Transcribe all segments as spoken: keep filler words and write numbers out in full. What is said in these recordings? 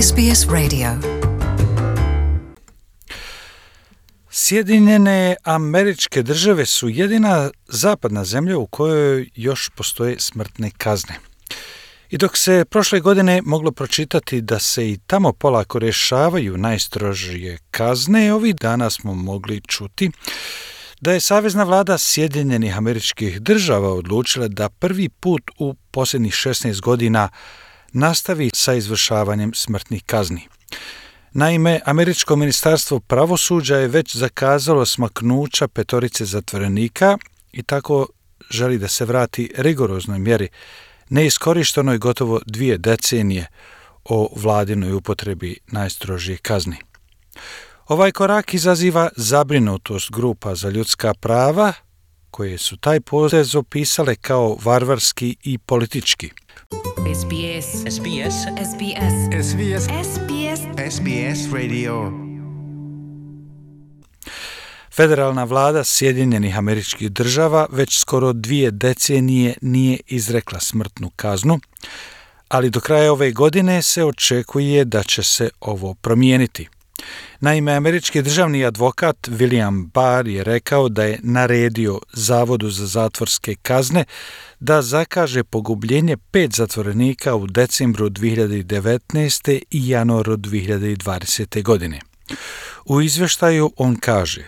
S B S Radio. Sjedinjene Američke Države su jedina zapadna zemlja u kojoj još postoje smrtne kazne. I dok se prošle godine moglo pročitati da se i tamo polako rješavaju najstrožije kazne, ovih dana smo mogli čuti da je savezna vlada Sjedinjenih Američkih Država odlučila da prvi put u posljednjih šesnaest godina nastavi sa izvršavanjem smrtnih kazni. Naime, Američko ministarstvo pravosuđa je već zakazalo smaknuća petorice zatvorenika i tako želi da se vrati rigoroznoj mjeri neiskorištenoj gotovo dvije decenije o vladinoj upotrebi najstrožije kazni. Ovaj korak izaziva zabrinutost grupa za ljudska prava, koje su taj potez opisale kao varvarski i politički. S B S. S B S. S B S. S B S. S B S. S B S Radio. Federalna vlada Sjedinjenih Američkih Država već skoro dvije decenije nije izrekla smrtnu kaznu, ali do kraja ove godine se očekuje da će se ovo promijeniti. Naime, američki državni advokat William Barr je rekao da je naredio Zavodu za zatvorske kazne da zakaže pogubljenje pet zatvorenika u decembru dvije hiljade devetnaeste i januaru dvije hiljade dvadesete. godine. U izvještaju on kaže: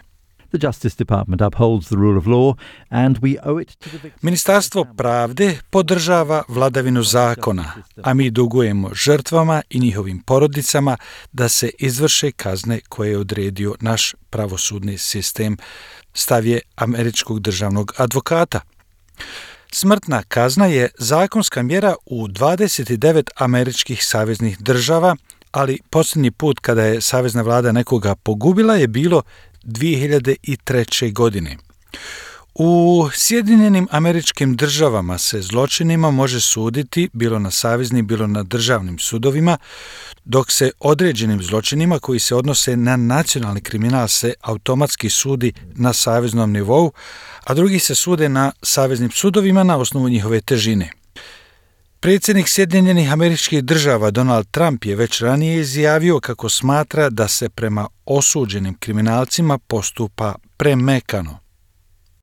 The Justice Department upholds the rule of law and we owe it to the victims. Ministarstvo pravde podržava vladavinu zakona, a mi dugujemo žrtvama i njihovim porodicama da se izvrše kazne koje je odredio naš pravosudni sistem, stav je američkog državnog advokata. Smrtna kazna je zakonska mjera u dvadeset devet američkih saveznih država, ali posljednji put kada je savezna vlada nekoga pogubila je bilo dvije hiljade treće. godine. U Sjedinjenim Američkim Državama se zločinima može suditi bilo na saveznim, bilo na državnim sudovima, dok se određenim zločinima koji se odnose na nacionalni kriminal se automatski sudi na saveznom nivou, a drugi se sude na saveznim sudovima na osnovu njihove težine. Predsjednik Sjedinjenih Američkih Država Donald Trump je već ranije izjavio kako smatra da se prema osuđenim kriminalcima postupa premekano.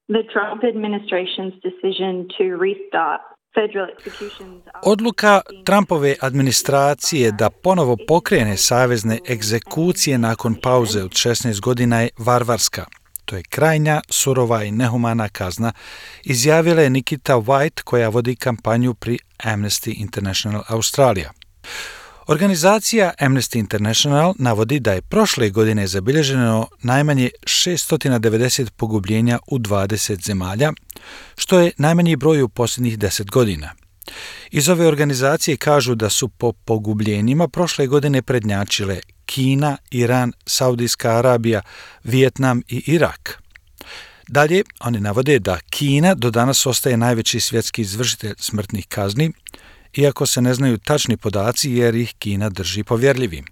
The Trump administration's decision to restart federal executions. Odluka Trumpove administracije da ponovo pokrene savezne egzekucije nakon pauze od šesnaest godina je varvarska. To je krajnja, surova i nehumana kazna, izjavila je Nikita White, koja vodi kampanju pri Amnesty International Australija. Organizacija Amnesty International navodi da je prošle godine zabilježeno najmanje šesto devedeset pogubljenja u dvadeset zemalja, što je najmanji broj u posljednjih deset godina. Iz ove organizacije kažu da su po pogubljenjima prošle godine prednjačile Kina, Iran, Saudijska Arabija, Vijetnam i Irak. Dalje, oni navode da Kina do danas ostaje najveći svjetski izvršitelj smrtnih kazni, iako se ne znaju tačni podaci jer ih Kina drži povjerljivim.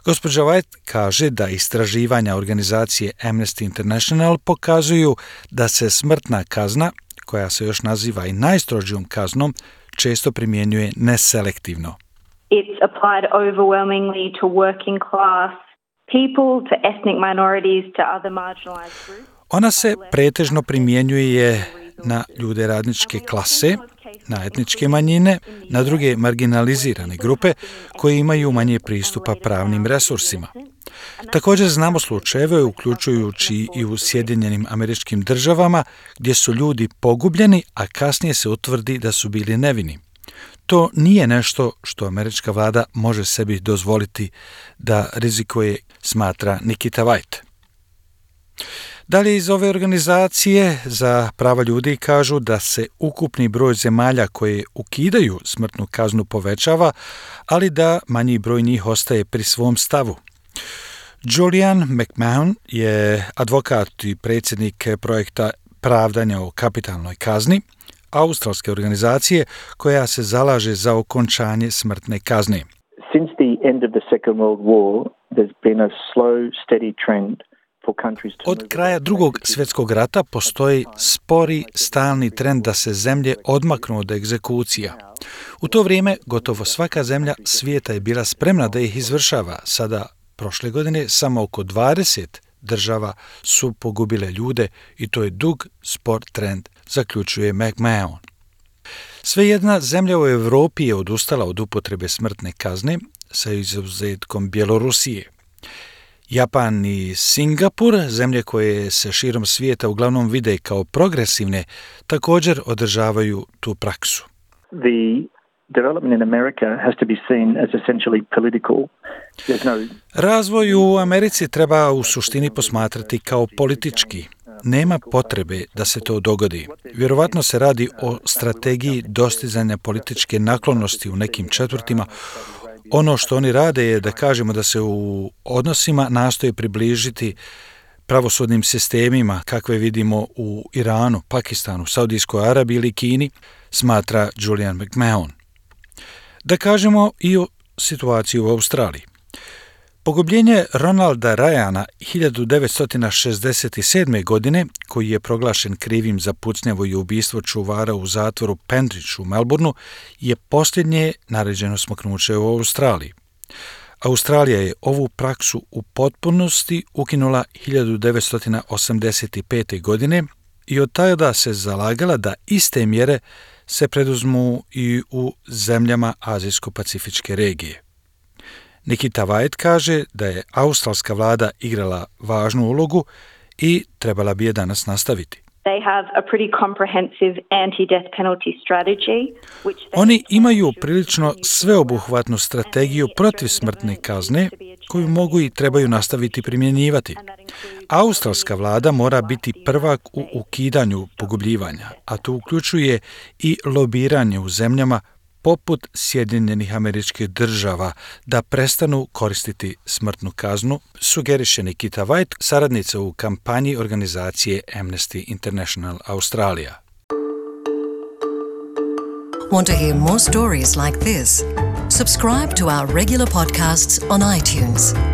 Gospođa White kaže da istraživanja organizacije Amnesty International pokazuju da se smrtna kazna, koja se još naziva i najstrožijom kaznom, često primjenjuje neselektivno. It's applied overwhelmingly to working class people, to ethnic minorities, to other marginalized groups. Ona se pretežno primjenjuje na ljude radničke klase, na etničke manjine, na druge marginalizirane grupe koje imaju manje pristupa pravnim resursima. Također znamo slučajeve, uključujući i u Sjedinjenim Američkim Državama, gdje su ljudi pogubljeni, a kasnije se utvrdi da su bili nevini. To nije nešto što američka vlada može sebi dozvoliti da rizikuje, smatra Nikita White. Dalje iz ove organizacije za prava ljudi kažu da se ukupni broj zemalja koje ukidaju smrtnu kaznu povećava, ali da manji broj njih ostaje pri svom stavu. Julian McMahon je advokat i predsjednik projekta pravdanja o kapitalnoj kazni, australske organizacije koja se zalaže za okončanje smrtne kazne. Since the end of the Second World War, there's been a slow, steady trend Od kraja drugog svjetskog rata postoji spori, stalni trend da se zemlje odmaknu od egzekucija. U to vrijeme gotovo svaka zemlja svijeta je bila spremna da ih izvršava. Sada, prošle godine, samo oko dvadeset država su pogubile ljude i to je dug spor trend, zaključuje McMahon. Svejedna zemlja u Europi je odustala od upotrebe smrtne kazne sa izuzetkom Bjelorusije. Japan i Singapur, zemlje koje se širom svijeta uglavnom vide kao progresivne, također održavaju tu praksu. The development in America has to be seen as essentially political. No... Razvoj u Americi treba u suštini posmatrati kao politički. Nema potrebe da se to dogodi. Vjerovatno se radi o strategiji dostizanja političke naklonosti u nekim četvrtima. Ono što oni rade je da kažemo da se u odnosima nastoje približiti pravosudnim sistemima kakve vidimo u Iranu, Pakistanu, Saudijskoj Arabiji ili Kini, smatra Julian McMahon. Da kažemo i o situaciji u Australiji. Pogubljenje Ronalda Ryana hiljadu devetsto šezdeset sedme. godine, koji je proglašen krivim za pucnjavu i ubistvo čuvara u zatvoru Pendridge u Melbourneu, je posljednje naređeno smaknuće u Australiji. Australija je ovu praksu u potpunosti ukinula hiljadu devetsto osamdeset pete. godine i od tada se zalagala da iste mjere se preduzmu i u zemljama Azijsko-pacifičke regije. Nikita White kaže da je australska vlada igrala važnu ulogu i trebala bi je danas nastaviti. They have a pretty comprehensive anti-death penalty strategy, which they... Oni imaju prilično sveobuhvatnu strategiju protiv smrtne kazne koju mogu i trebaju nastaviti primjenjivati. Australska vlada mora biti prvak u ukidanju pogubljivanja, a to uključuje i lobiranje u zemljama poput Sjedinjenih Američkih Država da prestanu koristiti smrtnu kaznu, sugeriše Nikita White, saradnica u kampanji organizacije Amnesty International Australia. Want to hear more stories like this? Subscribe to our regular podcasts on iTunes.